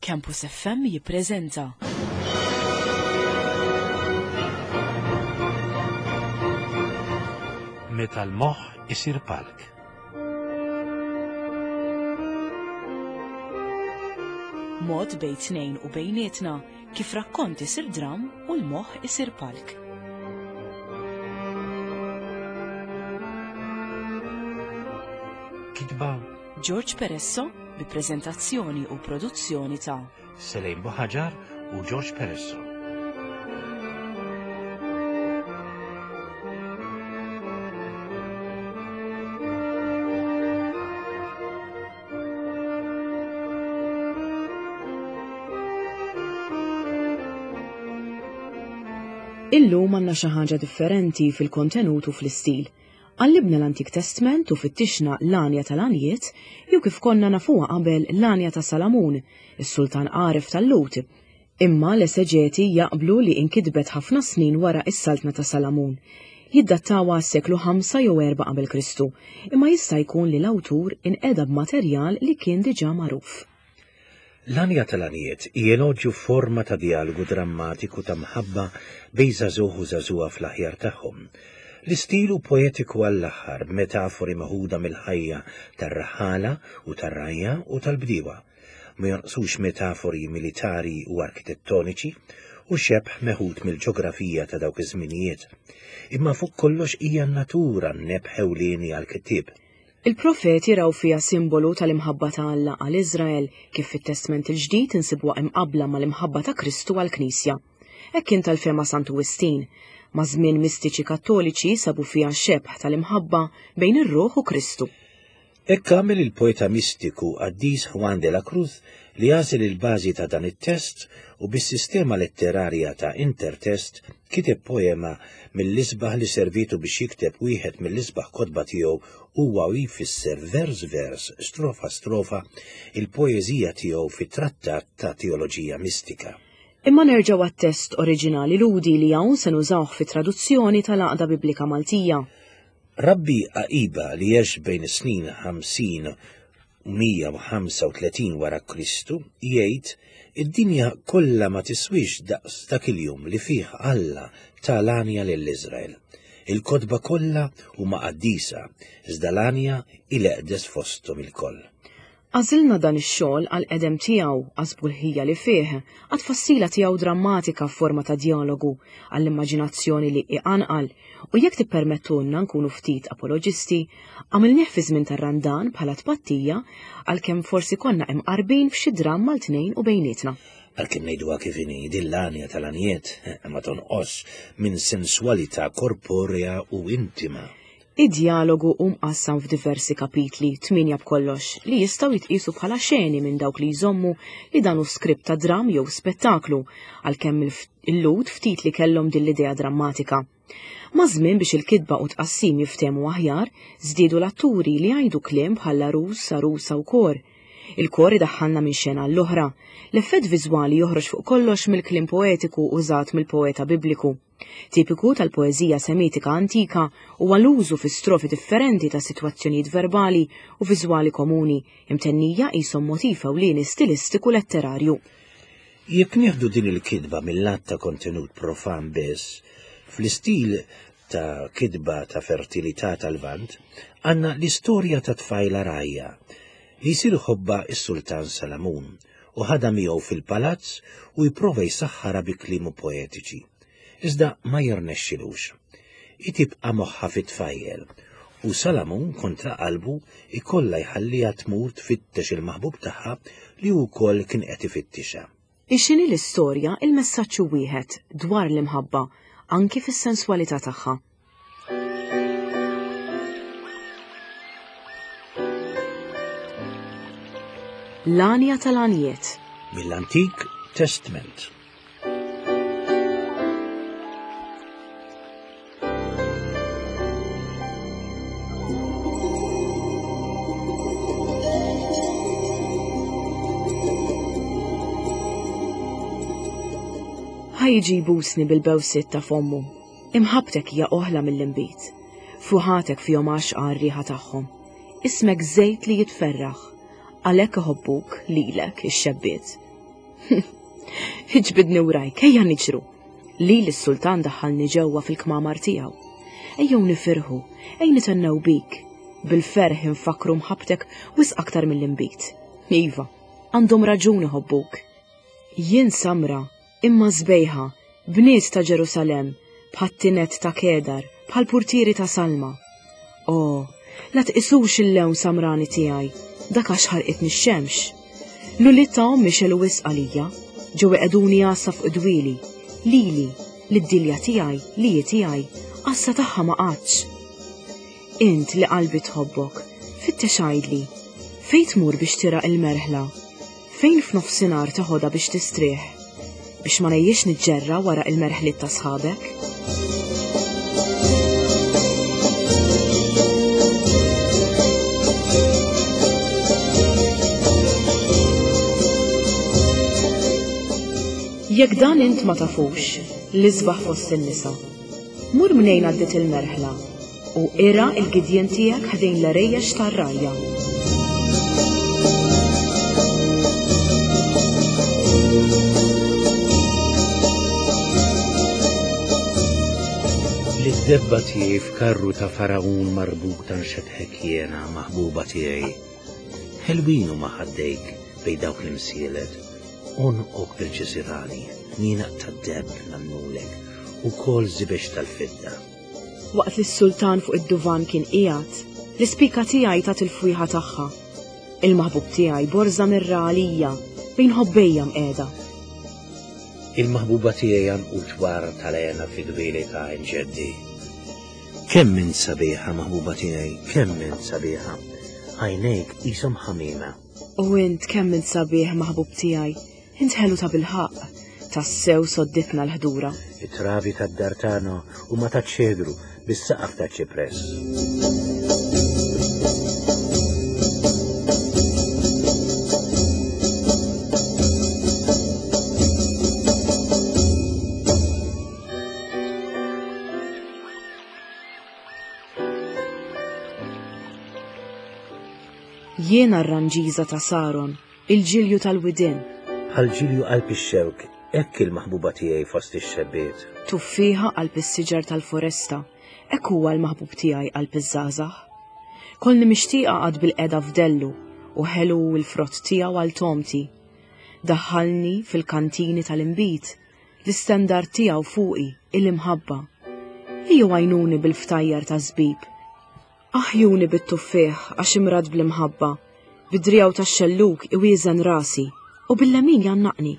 Campus FM jippreżenta. Meta l-moħħ isir palk. Mod bejn tnejn u bejnietna kif rakkont isir dram u l-moħħ isir palk. Kitba George Peresso bi preżentazzjoni u produzzjoni ta' Selejn Buħaġar u George Peresso. Illum għandna xi ħaġa differenti fil-kontenut u fl-istil. Qallibna l-Antik Testment u fittixna l-Għanja tal-Għanjiet, jew kif konna nafuha qabel l-Għanja ta' Salamun, is-sultan għaref tal-Lhud. Imma l-eseġeti jaqblu li inkitbet ħafna snin wara s-saltna ta' Salamun. Jiddattawha għas-seklu ħamsa jew erbgħa qabel Kristu, imma jista' jkun li l-awtur inqeda b'materjal li kien diġà magħruf. L-Għanja tal-Għanjiet hi eloġju f'forma ta' djalogu drammatiku ta' mħabba bejn żagħżugħ u żagħżugħa fl-aħjar tagħhom. L-istil hu poetiku għall-aħħar b'metafori meħuda mill-ħajja tar-raħħala u tar-rgħajja u tal-bdiewa. Ma jonqsux metafori militari u arkitettoniċi u xebh meħud mill-ġografija ta' dawk iż-żminijiet. Imma fuq kollox hija n-natura n-nebħ ewlieni għall-kittieb. Il-profeti raw fiha simbolu tal-imħabba ta' Alla għal Iżrael, kif fit-Testment il-Ġdid insibuha imqabbla mal-imħabba ta' Kristu għall-Knisja. Hekk kien tal-fehma Santu Wistin. Maż-żmien mistiċi Kattoliċi sabu fiha xebh tal-imħabba bejn ir-ruħ u Kristu. Hekk għamel il-poeta mistiku qaddis Juan de la Cruz li għażel il-bażi ta' dan it-test u bis-sistema letterarja ta' intertest kiteb poema mill-isbaħ li servietu biex jikteb wieħed mill-isbaħ kotba tiegħu huwa u jfisser vers vers, strofa strofa, il-poeżija tiegħu fi trattat ta' teoloġija mistika. Imma nerġgħu għat-test oriġinali Lhudi li hawn se nużawh fit-traduzzjoni tal-Għaqda Biblika Maltija. Rabbi Aqiba li għex bejn is-snin 50 u 135 wara Kristu jgħid id-dinja kollha ma tiswix daqs dak il-jum li fih Alla ta l-għanja lil Iżrael. Il-kotba kollha huma qaddisa, iżda l-għanja hi l-eqdes fosthom ilkoll. Għażilna dan ix-xogħol għall-qedem tiegħu, għas-sbuħija li fih, għat-tfassila tiegħu drammatika f'forma ta' djalogu, għall-immaġinazzjoni li iqanqal, u jekk tippermettulna nkunu ftit apoloġisti, għamilnieh fi żmien tar-Randan bħala tpattija għalkemm forsi konna imqarbin f'xi dramm għal tnejn u bejnietna. Għalkemm ngħiduha kif inhi, din l-għanja tal-għanjiet ma tonqosx minn senswalità korporea u intima. Id-djalogu hu mqassam f'diversi kapitli, tmienja b'kollox, li jistgħu jitqiesu bħala xeni minn dawk li jżommu li dan hu skript ta' dramm jew spettaklu, għalkemm il-Lhud ftit li kellhom din l-idea drammatika. Maż-żmien biex il-kitba u t-tqassim jiftehmu aħjar, żdiedu l-atturi li jgħidu kliem bħal għarus, għarusa u kor. Il-kor idaħħalna minn xena għall-oħra. L-effett viżwali joħroġ fuq kollox mill-kliem poetiku użat mill-poeta Bibliku. Tipiku tal-poeżija Semitika antika huwa l-użu fi strofi differenti ta' sitwazzjonijiet verbali u viżwali komuni, imtennija qishom motiv ewlieni stilistiku letterarju. Jekk nieħdu din il-kitba mil-lat ta' kontenut profan biss, fl-istil ta' kitba ta' fertilità tal-Lvant, għandna l-istorja ta' tfajla rgħajja li jsir iħobbha s-Sultan Salamun u ħadha miegħu fil-palazz u jprova jsaħħarha bi kliemu poetiċi. Iżda ma jirnexxilux. Hi tibqa' moħħha fit-tfajjel u Salamun kontra qalbu jkollha jħalliha tmur tfittex il-maħbub tagħha li hu wkoll kien qed ifittixha. Hi x'inhi l-istorja, il-messaġġ hu wieħed, dwar l-imħabba, anki fis-senswalità tagħha. L-għanja tal-għanjiet. Mill-Antik Testment. Ħa jiġi jbusni bil-bewsiet ta' fommu. Imħabbtek hija oħla mill-inbid. Fuħatek fihom għaxqa r-riħa tagħhom. Ismek żejt li jitferraħ. Għalhekk iħobbuk lilek ix-xebbiet. Iġbidni wrajk, ejja niġru. Lili s-sultan daħħalni ġewwa fil-kmamar tiegħu. Ejjew nifirħu, ej nitennew bik. Bil-ferħ infakkru mħabbtek wisq aktar mill-inbid. Iva, għandhom raġun iħobbuk. Jien samra, imma sbejħa, bniet ta' Ġerusalemm, bħat-tined ta' Kedar, bħall-purtieri ta' Salma. O, la tqisux il-lewn samrani tiegħi, dak għax ħarqitni x-xemx. L-ulied ta' ommi xelu wisq għalija, ġew iqegħduni għassa fuq id-dwieli, lili, lid-dilja tiegħi, li hi tiegħi, għassa tagħha ma qgħadx. Int li qalbi tħobbok, fittex għidli, fejn tmur biex tirgħa il-merħla? Fejn f'nofsinhar teħodha biex tistrieħ? Biex ma ngħejjiex niġġerra wara il-merħliet ta' sħabek? Jekk dan int ma tafux, l-isbaħ fost in-nisa, mur mnejn għaddiet il-merħla U irgħa l-gidjien tiegħek ħdejn l-għerejjex tar-rgħajja. Lid-debba tiegħi f'karru ta' Faragħun marbuta nxebbħek jiena, maħbuba tiegħi. Ħelwin huma ħaddejk bejn dawk l-imsielet, għonqok bil-ġiżirani, tnienaq tad-deheb nagħmlulek, ukoll żibeġ tal-fidda. Waqt li s-sultan fuq id-duvan kien qiegħed, l-ispika tiegħi tat il-fwieħa tagħha. Il-maħbub tiegħi borża mirra għalija bejn ħobbejja mqiegħda. Il-maħbuba tiegħi għanqud war tal-għena fi dwieli ta' għajn ġeddi. Kemm int sabiħa, maħbuba tiegħi, kemm int sabiħa. Għajnejk qishom ħamiema. U int kemm int sabiħ, maħbub tiegħi, Int ħelu tabilħaqq, tassew sodditna l-ħdura. It-travi tad-dar tagħna huma taċ-ċedru bis-saqaf taċ-ċipress. Jiena r-ranġiża ta' Saron, Il-ġilju tal-widien. Bħal ġilju qalb ix-xewk, hekk il-maħbuba tiegħi fost ix-xebbiet. Tuffieħa qalb is-siġar tal-foresta, hekk huwa l-maħbub tiegħi qalb iż-żgħażagħ. Kollni mixtieqa qagħad bilqiegħda f'dellu, u ħelu hu l-frott tiegħu għal togħmti. Daħħalni fil-kantini tal-inbid, l-istendard tiegħu fuqi, il-imħabba. Ejjew għajnuni bil-ftajjar taż-żbib. Aħjuni bit-tuffieħ għax imrad bl-imħabba, bid-driegħu tax-xellug iwieżen rasi, u bil-lemin jgħannaqni.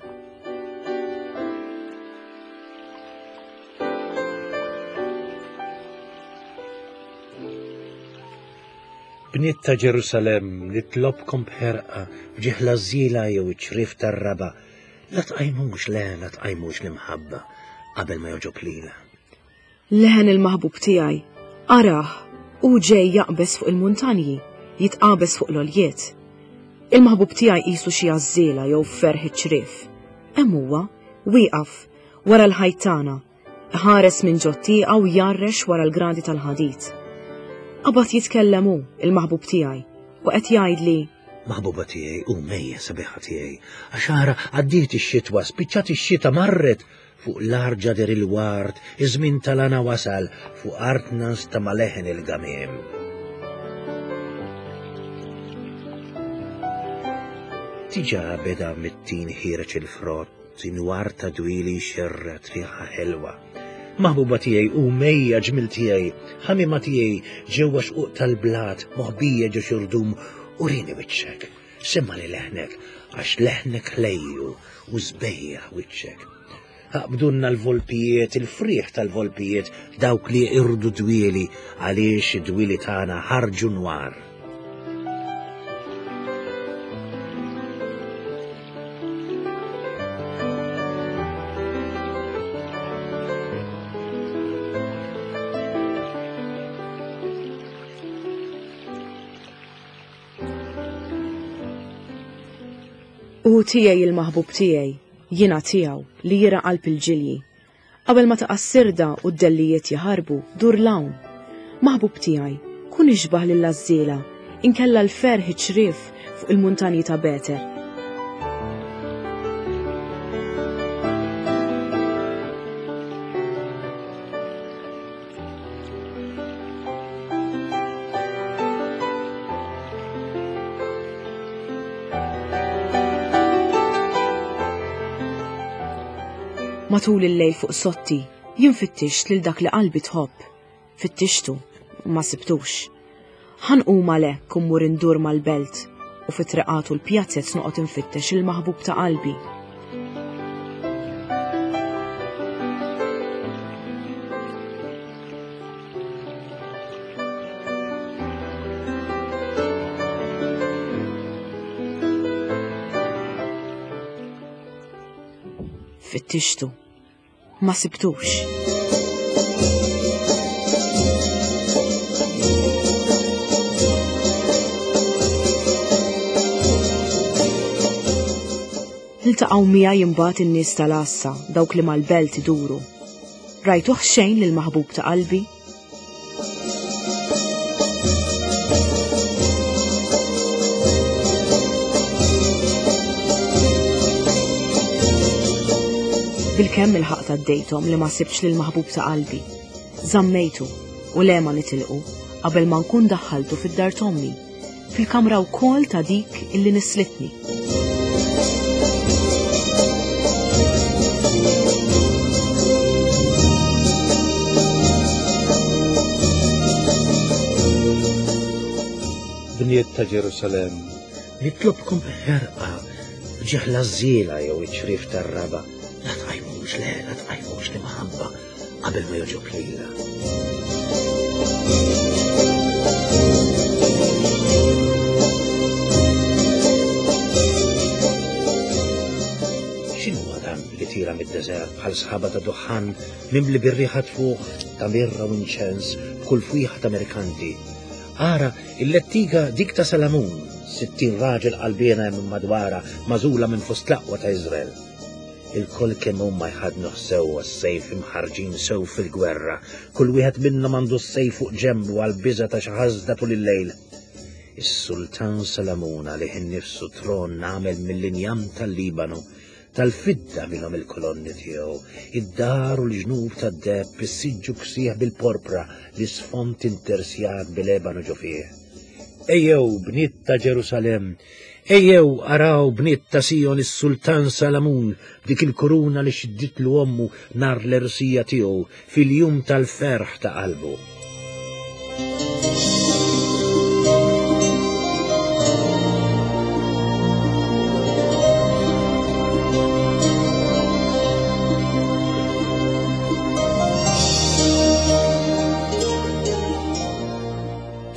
Bniet ta' Ġerusalemm, nitlobkom b'ħerqa, f'ġieħ l-għażżiela jew iċ-ċriev tar-raba', la tqajmux, le, la tqajmux l-imħabba qabel ma jogħġob lilha. Leħen il-maħbub tiegħi, arah, hu ġej jaqbeż fuq il-muntanji, jitqabeż fuq l-għoljiet. Il-maħbub tiegħi qisu xi għażżiela jew ferħ iċ-ċriev. Hemm huwa, wieqaf, wara l-ħajt tagħna, iħares minn ġot-tieqa u jgħarrex wara l-gradi tal-ħadid. Qabad jitkellem hu, il-maħbub tiegħi, u qed jgħidli, Maħbuba tiegħi, qum ejja sabiħa tiegħi, għax ara għaddiet ix-xitwa, spiċċat ix-xita marret, Fuq l-art ġader il-ward, iż-żmien tal-għana wasal, fuq artna nstama' leħen il-gamiem. Diġà beda mit-tin ħiereġ il-frott, inwar ta' dwieli jxerred riħa ħelwa. Maħbuba tiegħi u mejja ġmil tiegħi, ħamima tiegħi ġewwa xquq tal-blat, moħbija ġo xirdum, urini wiċċek. Semmagħli leħnek, għax leħnek ħlejju u sbejjaħ wiċċek. Aqbdulna l-volpijiet, il-frieħ tal-volpijiet, dawk li jeqirdu d-dwieli, għaliex id-dwieli tagħna ħarġu nwar. Hu tiegħi il-maħbub tiegħi, jiena tiegħu, li jirgħa qalb il-ġilji. Qabel ma taqa' s-sirda u d-dellijiet jaħarbu, dur 'l hawn. Maħbub tiegħi, kun ixbah lill-għażżiela, inkella l-ferħ iċ-ċriev fuq il-muntanji ta' Beter. Matul il-lejl fuq sotti, jien fittixt lil dak li qalbi tħobb. Fittixtu, u ma sibtux. Ħa nqum għalhekk u mmur indur mal-belt u fit-triqat u l-pjazez noqgħod infittex il-maħbub ta' qalbi. Fittixtu. Ma sibtux. Iltaqgħu miegħi imbagħad in-nies tal-għassa, dawk li mal-belt iduru. Rajtuh xejn lill-maħbub ta' qalbi? Bilkemm il-ħaq għaddejthom li ma sibtx lil maħbub ta' qalbi. Żammejtu u le ma nitilqu qabel ma nkun daħħaltu fid-dar t'ommi, fil-kamra wkoll ta' dik illi nislitni. Bniet ta' Ġerusalemm, nitlobkom b'ħerqa ġeħla żiela jew iċ-ċriev tar-raba', la tqajmux, le, la tqajmux l-imħabba qabel ma jogħġob lilha. X'inhu dan li tira mid-deżert bħal sħaba ta' duħħan mimli bir-riħa tfuħ ta' mirra u inċens b'kull fwieħa ta' merkanti. Ara, il-lettiga dik ta' Salamun, 60 raġel qalbiena hemm madwara magħżula minn fost l-aqwa ta' Iżrael. Ilkoll kemm huma jħaddnuh sewwa s-sejf imħarrġin sew fil-gwerra, kull wieħed minnhom għandu s-sejf fuq ġenbu għall-biża' ta' xi ħasda tul il-lejl. Is-sultan Salamun għalih innifsu tron għamel mill-injam tal-Libanu, tal-fidda minnhom il-kolonni tiegħu, id-dar u l-ġnub tad-deheb, is-siġġu ksieħ bil-porpra, l-isfond intersjat bil-ebanu ġo fih. Ejjew, bniet ta' Ġerusalemm, Ejjew araw bniet ta' Sijon is-sultan Salamun b'dik il-kuruna li xidditlu ommu nhar l-għerusija tiegħu fil-jum tal-ferħ ta' qalbu.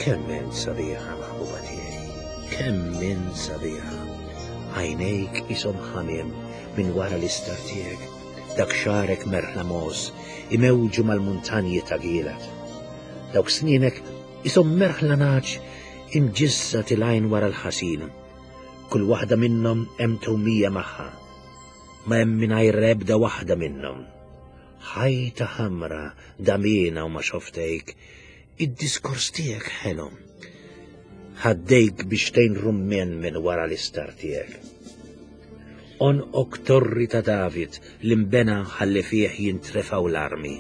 Kemm int sabiħa maħbuba tiegħi! Kemm int sabiħa! Għajnejk qishom ħamiem minn wara l-istar tiegħek, dak xagħrek merħla mogħoż imewġu mal-muntanji ta' Gilgħad. Dawk snienek qishom merħla nagħaġ imġissa tilgħin wara l-ħasil. Kull waħda minnhom hemm tewmija magħha. Ma hemm mingħajr ebda waħda minnhom. Ħajta ħamra damiena u ma xoftejk, Id-diskors tiegħek ħelu. Ħaddejk biex tgħin rummien minn wara l-istar tiegħek. Onqok torri ta' David li nbena ħalli fih jintrefgħu l-armi.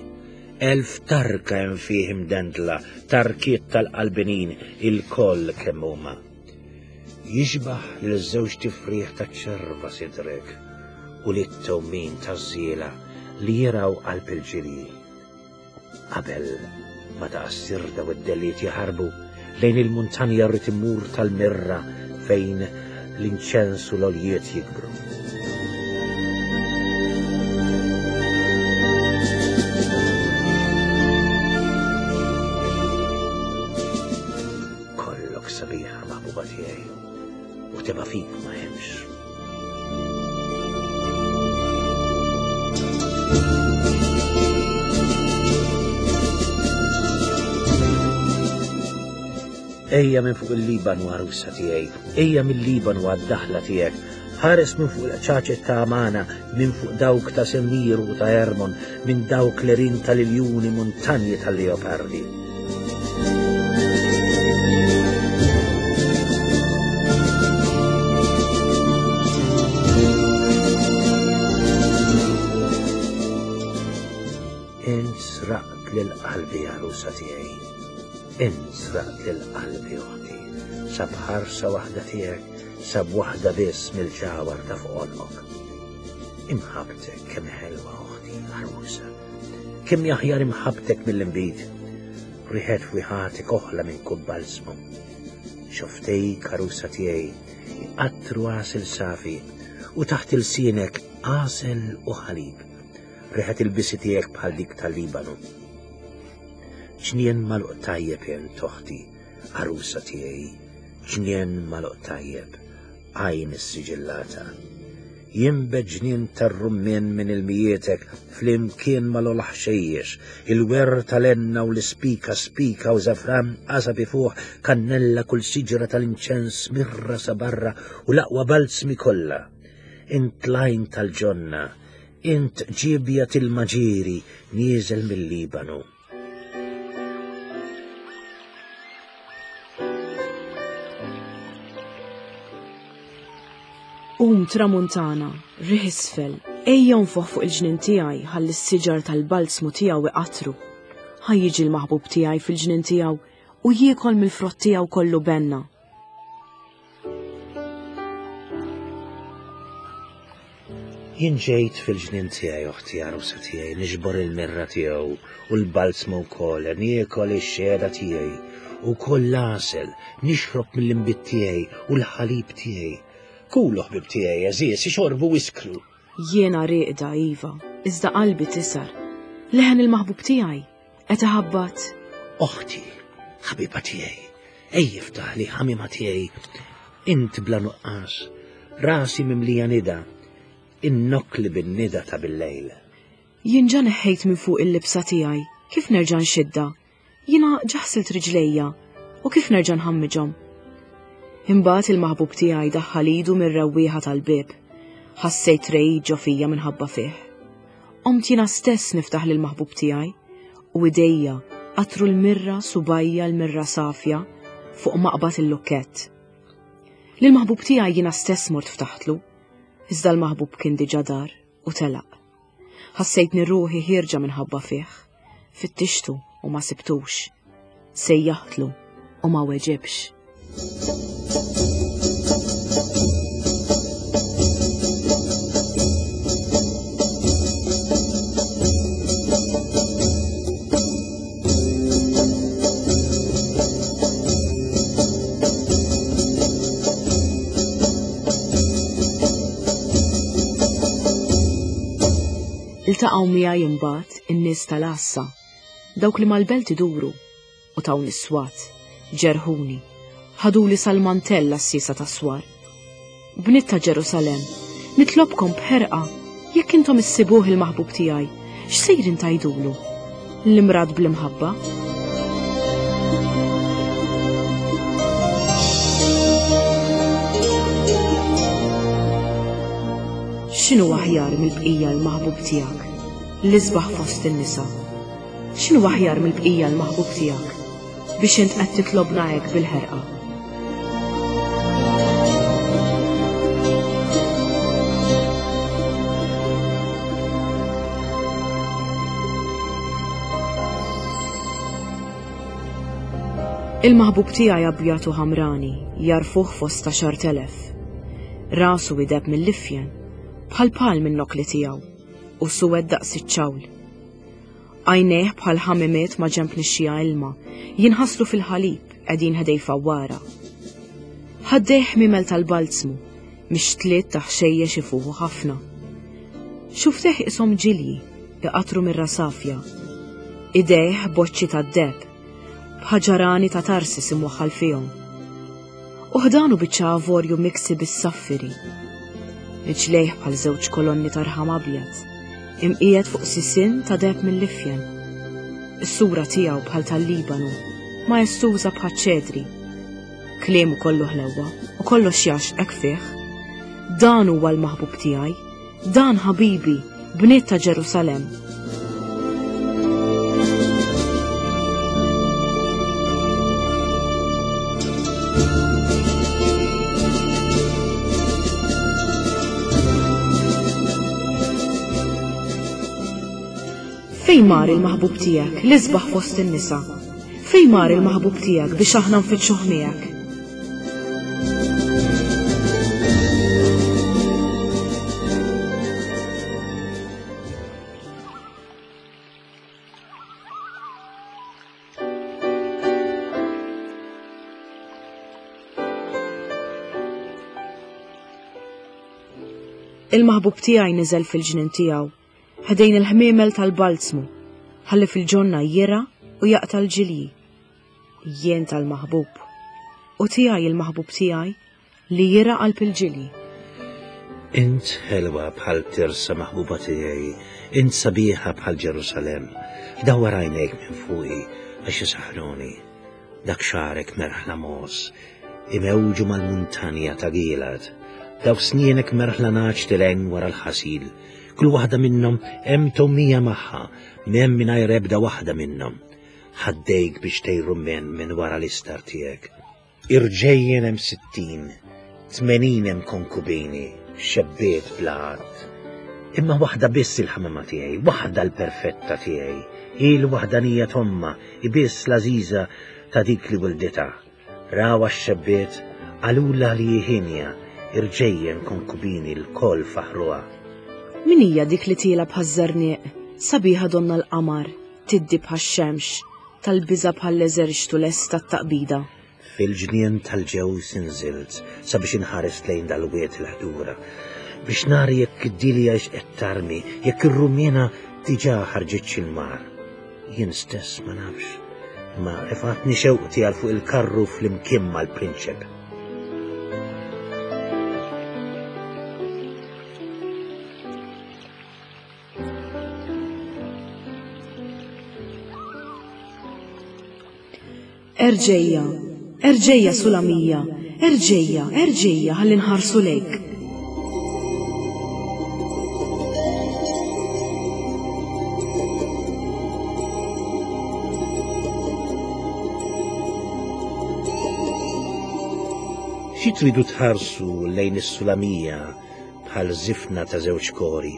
1000 tarka hemm fih imdendla, tarkiet tal-qalbinin ilkoll kemm huma. Jixbah lil żewġ tifrieħ ta' ċerva sidrek u lit-tewmin taż-żiela li jirgħu qalb il-ġirji. Qabel ma taqa' s-sirda u d-delliet jaħarbu, lejn il-muntanja rrid immur tal-mirra fejn l-inċens u l-oljiet jikbru. Kollok sabiħa maħbuba tiegħi u teba' fik ma hemmx. Ejja minn fuq il-Libanu għarusa tiegħi, ejja mill-Libanu għad-daħla tiegħek, ħares minn fuq il-qċaċet ta' Amana, minn fuq dawk ta' Senir u ta' Ermon, minn dawk l-erin tal-iljuni muntanji tal-leopardi. Int sraqt lil qalbi għarusa tiegħi. Int sraqt lil qalbi oħti. Sab ħarsa waħda tiegħek, sab waħda biss mill-ġawar ta' fuq għonqok. Imħabbtek kemm ħelwa oħti għarusa. Kemm jaħjar imħabbtek mill-inbid. Riħet fwiħatek oħla minn kull balsmu. Xoftejk għarusa tiegħi iqattru għasel safi u taħt ilsienek għasel u ħalib. Riħet il-bisi tiegħek bħal dik tal-Libanu. Ġnien magħluq tajjeb int oħti, għarusa tiegħi, ġnien magħluq tajjeb, għajn issiġillata. Jinbet ġnien tar-rummien minn ilmijietek flimkien mal-ogħla ħxejjex, il-werr tal-enna u l-ispika, spika u żafran, qasab ifuħ, kannella, kull siġra tal-inċens, mirra sabarra u l-aqwa balzmi kollha. Int l-għajn tal-ġonna, int ġiebja til-maġieri nieżel mill-Libanu. Qum tramuntana, riħ isfel, ejja nfoħ fuq il-ġnien tiegħi ħalli s-siġar tal-balzmu tiegħu iqatru. Ħa jiġi l-maħbub tiegħi fil-ġnien tiegħu u jiekol mill-frott tiegħu kollu benna. Jien ġejt fil-ġnien tiegħi oħti għarusa tiegħi niġbor il-mirra tiegħu u l-balzmu wkoll niekol ix-xehda tiegħi u wkoll l-għasel nixrob mill-inbid tiegħi u l-ħalib tiegħi. Kulu ħbib tiegħi għeżież ixorbu iskru. Jiena rieqda iva, iżda qalbi tisar. Leħen il-maħbub tiegħi qed iħabbat. Oħti, ħabiba tiegħi, ej iftaħli ħamima tiegħi, int bla nuqqas, rasi mimlija nida, innokli bin-nida ta' bil-lejl. Jien ġa neħħejt minn fuq il-libsa tiegħi, kif nerġa' nxidda? Jiena ġa ħsilt riġlejja, u kif nerġa' nħammiġhom? Imbagħad il-maħbub tiegħi daħħal idu mir-rewwieħa tal-bieb. Ħassejt regħid ġo fija minħabba fih. Qomt jiena stess niftaħ lill-maħbub tiegħi, u idejja qatru l-mirra subgħajja l-mirra safja fuq maqbad il-lukkett. Lill-maħbub tiegħi jiena stess mort ftaħtlu, iżda l-maħbub kien diġà dar u telaq. Ħassejtni ruħi ħierġa minħabba fih. Fittixtu u ma sibtux. Sejjaħtlu u ma weġibx. Iltaqgħu miegħi imbagħad in-nies tal-għassa, dawk li mal-belt iduru, u tawni s-swat, ġerħuni, ħaduli sal-mantell għassiesa tas-swar. Bniet ta' Ġerusalemm, nitlobkom b'ħerqa, jekk intom issibuh il-maħbub tiegħi, x'sejrin tgħidulu? L-imrad bl-imħabba? X'inhu aħjar mill-bqija l-maħbub tiegħek, l-isbaħ fost in-nisa? X'inhu aħjar mill-bqija l-maħbub tiegħek biex int qed titlobna hekk bil-ħerqa? Il-maħbub tiegħi abjad u ħamrani, jarfuh fost 10,000. Rasu ideb mill-ifjen, bħal pal minn nokli tiegħu, u suwed daqs iċ-ċawl. Għajnejh bħal ħamimiet ma' ġenb nixxiegħa ilma, jinħaslu fil-ħalib, qegħdin ħdej fawwara. Ħaddejh ħmiemel tal-balzmu, mixtliet ta' ħxejjex ifuħu ħafna. Xufftejh qishom ġilji, iqattru mir-rasafja. Idejh boċċi tad-deheb, b'ħaġarani ta' Tarsis imwaħħal fihom. U ħdanu biċċa avorju miksi bis-saffiri. Riġlejh bħal żewġ kolonni ta' rħam abjad, imqiegħed fuq sisien ta' deheb mill-ifjen. Is-sura tiegħu bħal tal-Libanu, maestuża bħaċ-ċedri. Kliemu kollu ħlewwa u kollox jgħaxqek fih. Dan huwa l-maħbub tiegħi, Dan ħabibi, bniet ta' Ġerusalemm. Fejn mar il-maħbub tiegħek, l-isbaħ fost in-nisa? Fejn mar il-maħbub tiegħek biex aħna nfittxuh miegħek? Il-maħbub tiegħi niżel fil-ġnien tiegħu, ħdejn il-ħmiemel tal-balzmu, ħalli fil-ġonna jirgħa u jaqta' l-ġilji. Jien tal-maħbub, u tiegħi il-maħbub tiegħi li jirgħa qalb il-ġilji. Int ħelwa bħal Tirsa maħbuba tiegħi, int sabiħa bħal Ġerusalemm. Dawwar għajnejk minn fuqi għax isaħħruni. Dak xagħrek merħla mogħoż, imewġu mal-muntanja ta' Gilad. Dawk snienek merħla nagħaġ tilgħin wara l-ħasil. Kull waħda minnhom hemm tgħommija magħha, m'hemm mingħajr ebda waħda minnhom. Ħaddejk biex tgħir rummen minn wara l-istar tiegħek. Irġejjen hemm 60, 80 hemm konkubini, xebbiet bla għadd. Imma waħda biss il-ħamama tiegħi, waħda l-perfetta tiegħi, hi l-waħdanija t'ommha, hi biss l-għażiża ta' dik li wilditha. Rawha x-xebbiet, qalulha li hi hienja, irġejjen konkubini lkoll faħħruha. Min hija dik li tiela' bħaż-żerniq, sabiħa donnha l-qamar, tiddi bħax-xemx, tal-biża' bħall-eżerċtu lest għat-taqbida. Fil-ġnien tal-ġewż inżilt sabiex inħares lejn dal-wied il-ħdura, biex nara jekk id-dilja hix qed tarmi, jekk ir-rumiena diġà ħarġitx il-mar. Jien stess ma nafx, imma refatni xewqti għal fuq il-karru flimkien mal-prinċep. Erġejja, erġejja Sulamija, erġejja, erġejja ħalli nħarsu lejk. Xi tridu tħarsu lejn is-Sulamija bħal żifna ta' żewġ kori?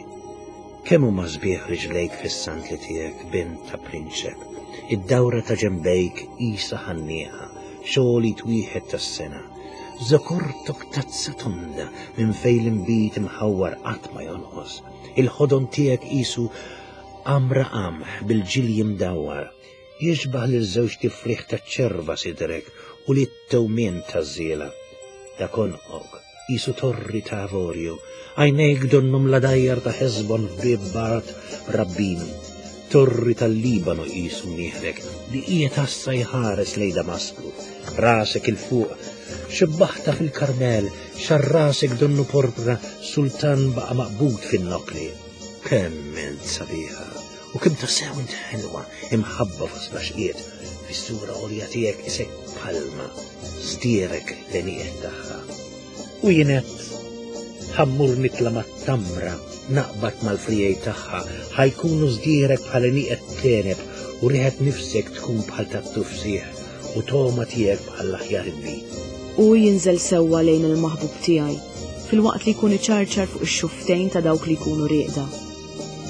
Kemm huma sbieħ riġlejk fis-sandli tiegħek, bint ta' prinċep! Id-dawra ta' ġenbejk qisha ħannieqa, xogħol id wieħed tas-sengħa. Żokortok tazza tonda minn fejn l-inbid imħawwar qatt ma jonqos. Il-ħodon tiegħek qisu għamra qamħ bil-ġilji mdawwar. Jixbah lil żewġt ifrieħ taċ-ċerva sidrek u lit-tewmien taż-żiela. Dak għonqok qisu torri ta' avorju, għajnejk donnhom l-għadajjar ta' Ħesbon f'bieb Bart Rabbim. Torri tal-Libanu qisu mnieħrek li qiegħed għassa jħares lejn Damasku. Rasek 'il fuq, xebbaħtha fil-Karmel, xagħar rasek donnu porpra, sultan baqa' maqbud fin-nokkli. Kemm int sabiħa! U kemm tassew int ħelwa, imħabba fost l-għaxqiet, fis-sura għolja tiegħek isek palma, żdierek l-għenieqed tagħha. U jien għedt, Ħa mmur nitla' mat-tamra, naqbad mal-friegħi tagħha, ħa jkunu żdierek bħal għenieqed t'għeneb, u riħet nifsek tkun bħal tat-tufsieħ, u togħma tiegħek bħall-aħjar inbid. Hu jinżel sewwa lejn il-maħbub tiegħi, filwaqt li jkun iċarċar fuq ix-xufftejn ta' dawk li jkunu rieqda.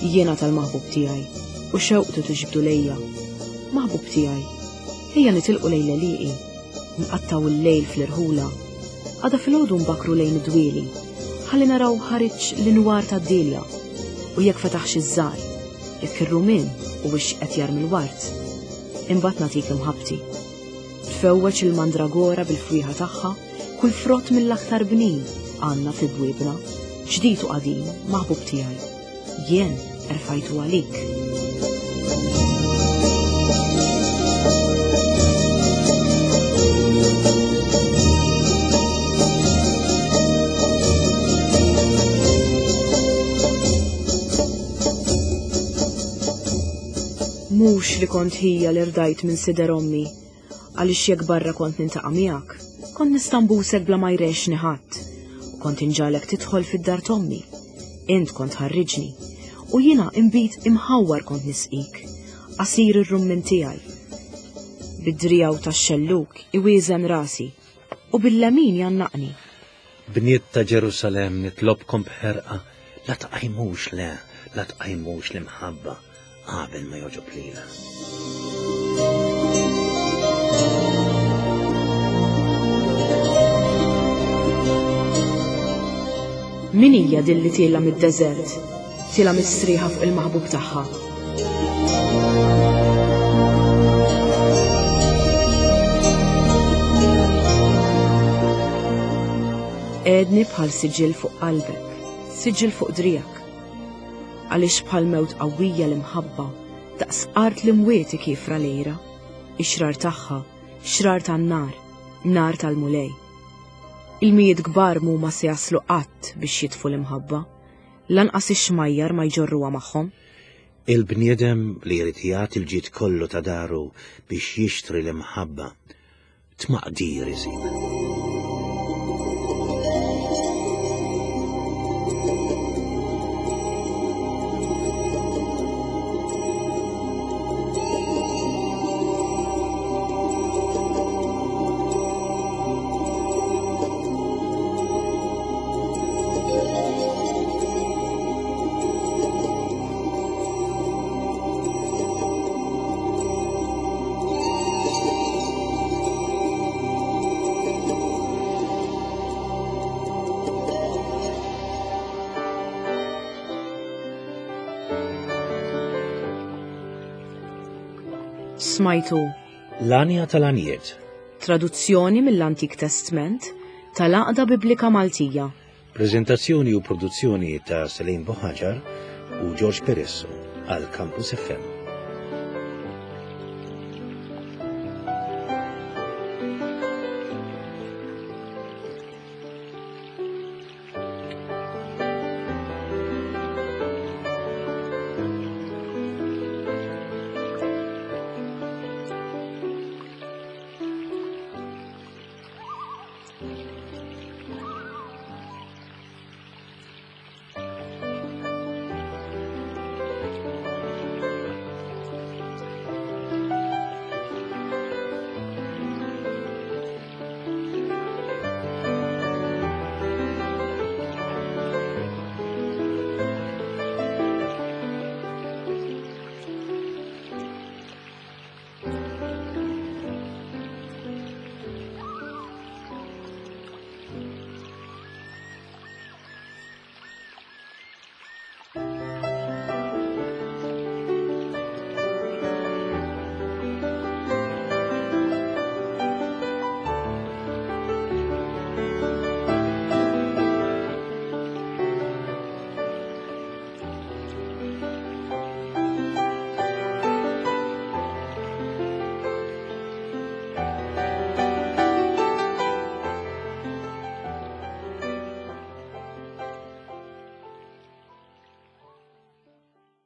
Jiena tal-maħbub tiegħi, u xewqtu tiġbdu lejja. Maħbub tiegħi, ejja nitilqu lejn l-għelieqi, nqattgħu l-lejl fl-irħula. Għada filgħodu nbakkru lejn id-dwieli, ħalli naraw ħariġx l-inwar tad-dielja, u jekk fetaħx iż-żgħar, jekk ir-rumien huwiex qed jarmi l-ward. Imbagħad nagħtik imħabbti. Tfewweġ il-mandragora bil-fwieħa tagħha, kull frott mill-aktar bnin għandna fi bwiebna, ġdid u qadim, maħbub tiegħi. Jien erfajtu għalik. Mhux li kont ħija li rdajt minn sider ommi, għaliex jekk barra kont nintaqa' miegħek, kont nista' nbusek bla ma jrexni ħadd, u kont inġagħlek tidħol fid-dar t'ommi. Int kont tħarriġni, u jiena inbid imħawwar kont nisqik, għasir ir-rummin tiegħi. Bid-driegħu tax-xellug iwieżen rasi, u bil-lemin jgħannaqni. Bniet ta' Ġerusalemm, nitlobkom b'ħerqa, la tqajmux, le, la tqajmux l-imħabba qabel ma jogħġob lilha. Min hija din li tiela' mid-deżert, tiela' mistrieħa fuq il-maħbub tagħha? Qegħdni bħal siġill fuq qalbek, Siġill fuq driegħek. Għaliex bħal mewt qawwija l-imħabba, daqs art l-imwiet ikiefra l-għira, ix-xrar tagħha, xrar tan-nar, nar tal-Mulej. Ilmijiet kbar m'huma se jaslu qatt biex jitfu l-imħabba, lanqas ix-xmajjar ma jġorruha magħhom. Il-bniedem li jrid jagħti l-ġid kollu ta' daru biex jixtri l-imħabba, tmaqdir isib. Smajtu L-Għanja tal-Għanjiet. Traduzzjoni mill-Antik Testment tal-Għaqda Biblika Maltija. Preżentazzjoni u produzzjoni ta' Celine Bohaġar u George Peresso għal Campus FM.